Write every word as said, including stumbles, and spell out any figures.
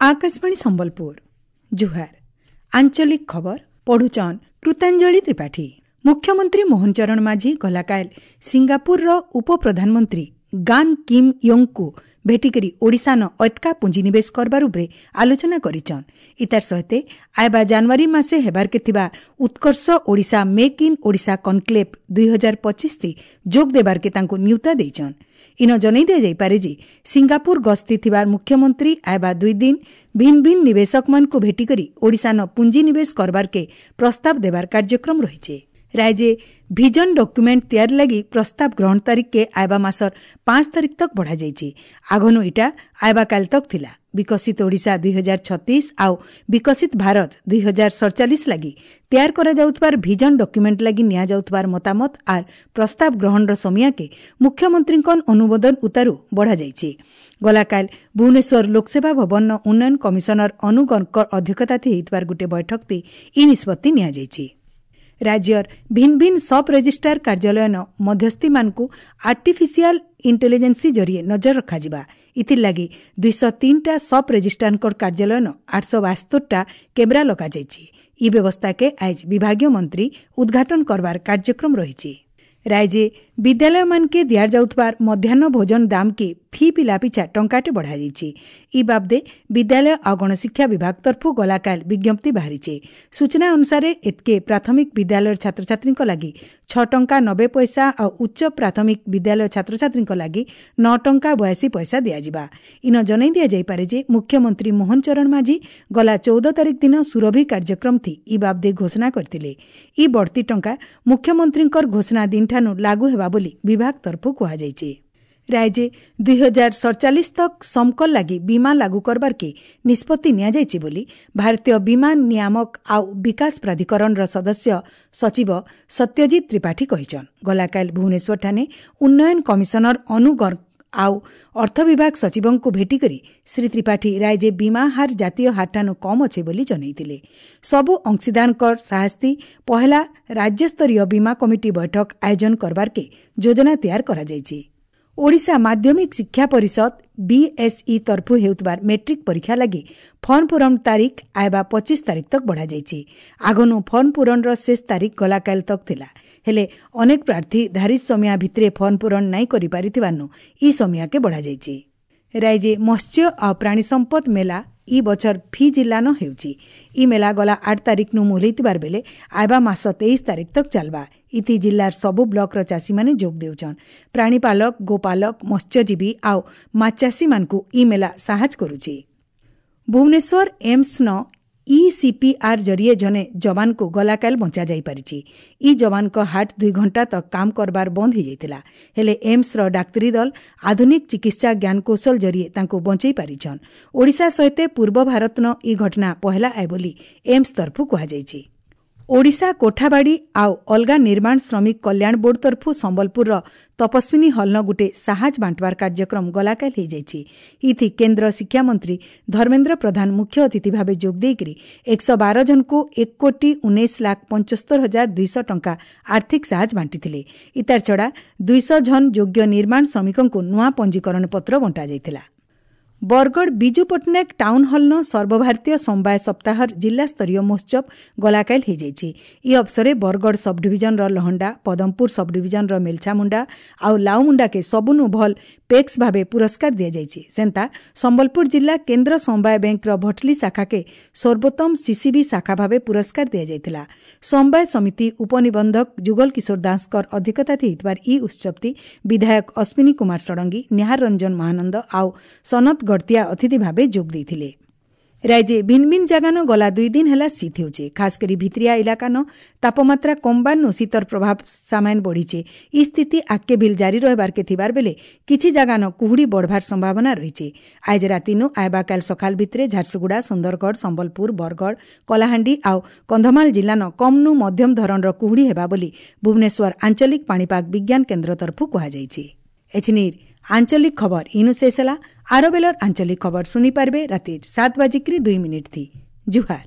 ଆକାଶବାଣୀ ସମ୍ବଲପୁର ଜୁହାର ଆଞ୍ଚଳିକ ଖବର ପଢୁଛନ୍ କୃତାଞ୍ଜଳି ତ୍ରିପାଠୀ ମୁଖ୍ୟମନ୍ତ୍ରୀ ମୋହନ ଚରଣ ମାଝୀ ଗଲାକାଲ ସିଙ୍ଗାପୁରର ଉପପ୍ରଧାନମନ୍ତ୍ରୀ ଗାନ୍ କିମ୍ ୟୋଙ୍ଗଙ୍କୁ ଭେଟିକରି ଓଡ଼ିଶାନ ଅତ୍କା ପୁଞ୍ଜିନିବେଶ କରବାର ଉପରେ ଆଲୋଚନା କରିଛନ୍ ଇତାର ସହିତ ଆଇବା ଜାନୁଆରୀ ମାସେ ହେବାର୍କେ ଥିବା Utkarsh Odisha make in Odisha conclave ଦୁଇ ହଜାର ପଚିଶ ଯୋଗ ଦେବାର୍କେ ତାଙ୍କୁ ନ୍ୟୁତା ଦେଇଛନ୍ ଇନ ଜଣାଇ ଦିଆଯାଇପାରେ ଯେ ସିଙ୍ଗାପୁର ଗସ୍ତି ଥିବା ମୁଖ୍ୟମନ୍ତ୍ରୀ ଆଇବା ଦୁଇ ଦିନ ଭିନ୍ନ ଭିନ୍ନ ନିବେଶକମାନଙ୍କୁ ଭେଟିକରି ଓଡ଼ିଶାନ ପୁଞ୍ଜିନିବେଶ କରବାର୍କେ ପ୍ରସ୍ତାବ ଦେବାର କାର୍ଯ୍ୟକ୍ରମ ରହିଛି ରାଜ୍ୟ ଭିଜନ ଡକ୍ୟୁମେଣ୍ଟ ତିଆରି ଲାଗି ପ୍ରସ୍ତାବ ଗ୍ରହଣ ତାରିଖକେ ଆଇବା ମାସର ପାଞ୍ଚ ତାରିଖ ତକ ବଢ଼ାଯାଇଛି ଆଗନୁ ଇଟା ଆଇବା କାଲ ତକ ଥିଲା ବିକଶିତ ଓଡ଼ିଶା ଦୁଇ ହଜାର ଛତିଶ ଆଉ ବିକଶିତ ଭାରତ ଦୁଇ ହଜାର ସଡ଼ଚାଳିଶ ଲାଗି ତିଆର କରାଯାଉଥିବାର ଭିଜନ ଡକ୍ୟୁମେଣ୍ଟ ଲାଗି ନିଆଯାଉଥିବାର ମତାମତ ଆର୍ ପ୍ରସ୍ତାବ ଗ୍ରହଣର ସମୟାକେ ମୁଖ୍ୟମନ୍ତ୍ରୀଙ୍କ ଅନୁମୋଦନ ଉତାରୁ ବଢ଼ାଯାଇଛି ଗଲାକାଲ ଭୁବନେଶ୍ୱର ଲୋକସେବା ଭବନର ଉନ୍ନୟନ କମିଶନର ଅନୁ ଗର୍ଗଙ୍କ ଅଧ୍ୟକ୍ଷତାରେ ହେଇଥିବାର ଗୋଟିଏ ବୈଠକରେ ଇ ନିଷ୍ପତ୍ତି ନିଆଯାଇଛି ରାଜ୍ୟର ଭିନ୍ନ ଭିନ୍ନ ସବ୍ ରେଜିଷ୍ଟ୍ରାର କାର୍ଯ୍ୟାଳୟନ ମଧ୍ୟସ୍ଥିମାନଙ୍କୁ ଆର୍ଟିଫିସିଆଲ ଇଣ୍ଟେଲିଜେନ୍ସି ଜରିଏ ନଜର ରଖାଯିବା ଇଥିର୍ଲାଗି ଦୁଇଶହ ତିନିଟା ସବ୍ ରେଜିଷ୍ଟ୍ରାରଙ୍କର କାର୍ଯ୍ୟାଳୟନ ଆଠଶହ ବାସ୍ତୋରଟା କ୍ୟାମେରା ଲଗାଯାଇଛି ଇ ବ୍ୟବସ୍ଥାକେ ଆଇଜ ବିଭାଗୀୟ ମନ୍ତ୍ରୀ ଉଦ୍ଘାଟନ କରବାର କାର୍ଯ୍ୟକ୍ରମ ରହିଛି ରାଜ୍ୟ ବିଦ୍ୟାଳୟମାନକେ ଦିଆଯାଉଥିବାର ମଧ୍ୟାହ୍ନ ଭୋଜନ ଦାମକେ ଫି ପିଲା ପିଛା ଟଙ୍କାଟେ ବଢ଼ାଯାଇଛି ଇ ବାବଦେ ବିଦ୍ୟାଳୟ ଆଉ ଗଣଶିକ୍ଷା ବିଭାଗ ତରଫରୁ ଗଲାକାଲ ବିଜ୍ଞପ୍ତି ବାହାରିছে ସୂଚନା ଅନୁସାରେ ଏତ୍କେ ପ୍ରାଥମିକ ବିଦ୍ୟାଳୟର ଛାତ୍ରଛାତ୍ରୀଙ୍କ ଲାଗି ଛଅ ଟଙ୍କା ନବେ ପଇସା ଆଉ ଉଚ୍ଚ ପ୍ରାଥମିକ ବିଦ୍ୟାଳୟ ଛାତ୍ରଛାତ୍ରୀଙ୍କ ଲାଗି ନଅ ଟଙ୍କା ବୟାଅଶୀ ପଇସା ଦିଆଯିବା ଇନ ଜଣାଇ ଦିଆଯାଇପାରେ ଯେ ମୁଖ୍ୟମନ୍ତ୍ରୀ ମୋହନ ଚରଣ ମାଝୀ ଗଲା ଚଉଦ ତାରିଖ ଦିନ ସୁରଭି କାର୍ଯ୍ୟକ୍ରମ ଥି ଇ ବାବଦେ ଘୋଷଣା କରିଥିଲେ ଇ ବଢ଼ତି ଟଙ୍କା ମୁଖ୍ୟମନ୍ତ୍ରୀଙ୍କର ଘୋଷଣା ଦିନଠାନୁ ଲାଗୁ ହେବା ବୋଲି ବିଭାଗ ତରଫରୁ କୁହାଯାଇଛି ରାଜ୍ୟ ଦୁଇ ହଜାର ସଡ଼ଚାଳିଶ ତକ ସମକଲ ଲାଗି ବୀମା ଲାଗୁ କରବାର୍କେ ନିଷ୍ପତ୍ତି ନିଆଯାଇଛି ବୋଲି ଭାରତୀୟ ବୀମା ନିୟାମକ ଆଉ ବିକାଶ ପ୍ରାଧିକରଣର ସଦସ୍ୟ ସଚିବ ସତ୍ୟଜିତ ତ୍ରିପାଠୀ କହିଛନ୍ ଗଲାକାଲ ଭୁବନେଶ୍ୱରଠାନେ ଉନ୍ନୟନ କମିଶନର ଅନୁ ଗର୍ଗ ଆଉ ଅର୍ଥ ବିଭାଗ ସଚିବଙ୍କୁ ଭେଟିକରି ଶ୍ରୀ ତ୍ରିପାଠୀ ରାଜ୍ୟ ବୀମା ହାର ଜାତୀୟ ହାରଠାନୁ କମ୍ ଅଛେ ବୋଲି ଜଣାଇଥିଲେ ସବୁ ଅଂଶୀଦାରଙ୍କର ସାହସ୍ତି ପହେଲା ରାଜ୍ୟସ୍ତରୀୟ ବୀମା କମିଟି ବୈଠକ ଆୟୋଜନ କରବାର୍କେ ଯୋଜନା ତିଆର କରାଯାଇଛି ଓଡ଼ିଶା ମାଧ୍ୟମିକ ଶିକ୍ଷା ପରିଷଦ ବିଏସ୍ଇ ତରଫରୁ ହେଉଥିବାର ମେଟ୍ରିକ୍ ପରୀକ୍ଷା ଲାଗି ଫର୍ମ ପୂରଣ ତାରିଖ ଆଇବା ପଚିଶ ତାରିଖ ତକ ବଢ଼ାଯାଇଛି ଆଗନୁ ଫର୍ମ ପୂରଣର ଶେଷ ତାରିଖ ଗଲାକାଲ ତକ ଥିଲା ହେଲେ ଅନେକ ପ୍ରାର୍ଥୀ ଧାରି ସମୟା ଭିତରେ ଫର୍ମ ପୂରଣ ନାଇଁ କରିପାରିଥିବାରୁ ଇ ସମୟାକେ ବଢ଼ାଯାଇଛି ରାଜ୍ୟ ମତ୍ସ୍ୟ ଆଉ ପ୍ରାଣୀ ସମ୍ପଦ ମେଳା ଇ ବଛର ଫି ଜିଲ୍ଲାନ ହେଉଛି ଇ ମେଳା ଗଲା ଆଠ ତାରିଖନୁ ମୁହଲେଇଥିବାର ବେଲେ ଆଇବା ମାସ ତେଇଶ ତାରିଖ ତକ ଚାଲବା ଇତି ଜିଲ୍ଲାର ସବୁ ବ୍ଲକର ଚାଷୀମାନେ ଯୋଗ ଦେଉଛନ୍ ପ୍ରାଣୀପାଲକ ଗୋପାଲକ ମତ୍ସ୍ୟଜୀବୀ ଆଉ ମାଛ ଚାଷୀମାନଙ୍କୁ ଇ ମେଳା ସାହାଯ୍ୟ କରୁଛି ଭୁବନେଶ୍ୱର ଏମ୍ସନ ଇସିପିଆର୍ ଜରିଏ ଜଣେ ଯବାନକୁ ଗଲାକାଲ ବଞ୍ଚାଯାଇପାରିଛି ଇ ଯବାନଙ୍କ ହାର୍ଟ ଦୁଇ ଘଣ୍ଟା ତକ କାମ କରବାର ବନ୍ଦ ହୋଇଯାଇଥିଲା ହେଲେ ଏମ୍ସର ଡାକ୍ତରୀ ଦଳ ଆଧୁନିକ ଚିକିତ୍ସା ଜ୍ଞାନକୌଶଳ ଜରିଏ ତାଙ୍କୁ ବଞ୍ଚେଇ ପାରିଛନ୍ ଓଡ଼ିଶା ସହିତ ପୂର୍ବ ଭାରତନ ଇ ଘଟଣା ପହେଲା ଆଏ ବୋଲି ଏମ୍ସ ତରଫରୁ କୁହାଯାଇଛି ଓଡ଼ିଶା କୋଠାବାଡ଼ି ଆଉ ଅଲଗା ନିର୍ମାଣ ଶ୍ରମିକ କଲ୍ୟାଣ ବୋର୍ଡ ତରଫରୁ ସମ୍ବଲପୁରର ତପସ୍ୱିନୀ ହଲ୍ନ ଗୋଟେ ସାହାଜ ବାଣ୍ଟବାର କାର୍ଯ୍ୟକ୍ରମ ଗଲାକାଲ ହୋଇଯାଇଛି ଇଥି କେନ୍ଦ୍ର ଶିକ୍ଷାମନ୍ତ୍ରୀ ଧର୍ମେନ୍ଦ୍ର ପ୍ରଧାନ ମୁଖ୍ୟ ଅତିଥି ଭାବେ ଯୋଗ ଦେଇକରି ଏକଶହ ବାର ଜଣଙ୍କୁ ଏକ କୋଟି ଉଣେଇଶ ଲାଖ ପଞ୍ଚସ୍ତର ହଜାର ଦୁଇଶହ ଟଙ୍କା ଆର୍ଥିକ ସାହାଯ୍ୟ ବାଣ୍ଟିଥିଲେ ଇତାର ଛଡ଼ା ଦୁଇଶହ ଜଣ ଯୋଗ୍ୟ ନିର୍ମାଣ ଶ୍ରମିକଙ୍କୁ ନୂଆ ପଞ୍ଜୀକରଣ ପତ୍ର ବଣ୍ଟାଯାଇଥିଲା ବରଗଡ଼ ବିଜୁ ପଟ୍ଟନାୟକ ଟାଉନ୍ ହଲ୍ନ ସର୍ବଭାରତୀୟ ସମବାୟ ସପ୍ତାହର ଜିଲ୍ଲାସ୍ତରୀୟ ମହୋତ୍ସବ ଗଲାକାଲ ହୋଇଯାଇଛି ଇ ଅବସରେ ବରଗଡ଼ ସବଡିଭିଜନର ଲହଣ୍ଡା ପଦମପୁର ସବଡିଭିଜନର ମେଲଛାମୁଣ୍ଡା ଆଉ ଲାଉମୁଣ୍ଡାକେ ସବୁନୁ ଭଲ୍ ପେକ୍ସ ଭାବେ ପୁରସ୍କାର ଦିଆଯାଇଛି ସେନ୍ତା ସମ୍ବଲପୁର ଜିଲ୍ଲା କେନ୍ଦ୍ର ସମବାୟ ବ୍ୟାଙ୍କର ଭଟଲି ଶାଖାକେ ସର୍ବୋତ୍ତମ ସିସିବି ଶାଖା ଭାବେ ପୁରସ୍କାର ଦିଆଯାଇଥିଲା ସମବାୟ ସମିତି ଉପନିବନ୍ଧକ ଯୁଗଲ କିଶୋର ଦାସଙ୍କର ଅଧ୍ୟକ୍ଷତାରେ ହୋଇଥିବାର ଇ ଉତ୍ସବଟି ବିଧାୟକ ଅଶ୍ୱିନୀ କୁମାର ଷଡ଼ଙ୍ଗୀ ନିହାର ରଞ୍ଜନ ମହାନନ୍ଦ ଆଉ ସନତ ଗଡ଼ତିଆ ଅତିଥି ଭାବେ ଯୋଗ ଦେଇଥିଲେ ରାଜ୍ୟ ଭିନ୍ନ ଭିନ୍ନ ଜାଗାନ ଗଲା ଦୁଇ ଦିନ ହେଲା ଶୀତ ହେଉଛି ଖାସ କରି ଭିତରିଆ ଇଲାକାନ ତାପମାତ୍ରା କମବାରନୁ ଶୀତର ପ୍ରଭାବ ସାମାନ୍ୟ ବଢ଼ିছে ଇ ସ୍ଥିତି ଆଗକେ ଭିଲ୍ ଜାରି ରହିବାର୍କେ ଥିବାର ବେଲେ କିଛି ଜାଗାନ କୁହୁଡ଼ି ବଢ଼ବାର ସମ୍ଭାବନା ରହିছে ଆଜ ରାତିନୁ ଆଇବା କାଲ ସକାଳ ଭିତରେ ଝାରସୁଗୁଡ଼ା ସୁନ୍ଦରଗଡ଼ ସମ୍ବଲପୁର ବରଗଡ଼ କଳାହାଣ୍ଡି ଆଉ କନ୍ଧମାଳ ଜିଲ୍ଲାନ କମ୍ନୁ ମଧ୍ୟମ ଧରଣର କୁହୁଡ଼ି ହେବା ବୋଲି ଭୁବନେଶ୍ୱର ଆଞ୍ଚଳିକ ପାଣିପାଗ ବିଜ୍ଞାନ କେନ୍ଦ୍ର ତରଫରୁ କୁହାଯାଇଛି ଏଛିନିର ଆଞ୍ଚଳିକ ଖବର ଇନୁ ଶେଷ ହେଲା ଆର ବେଲର ଆଞ୍ଚଳିକ ଖବର ଶୁଣିପାରିବେ ରାତି ସାତ ବାଜିକିରି ଦୁଇ ମିନିଟ୍ ଥି ଜୁହାର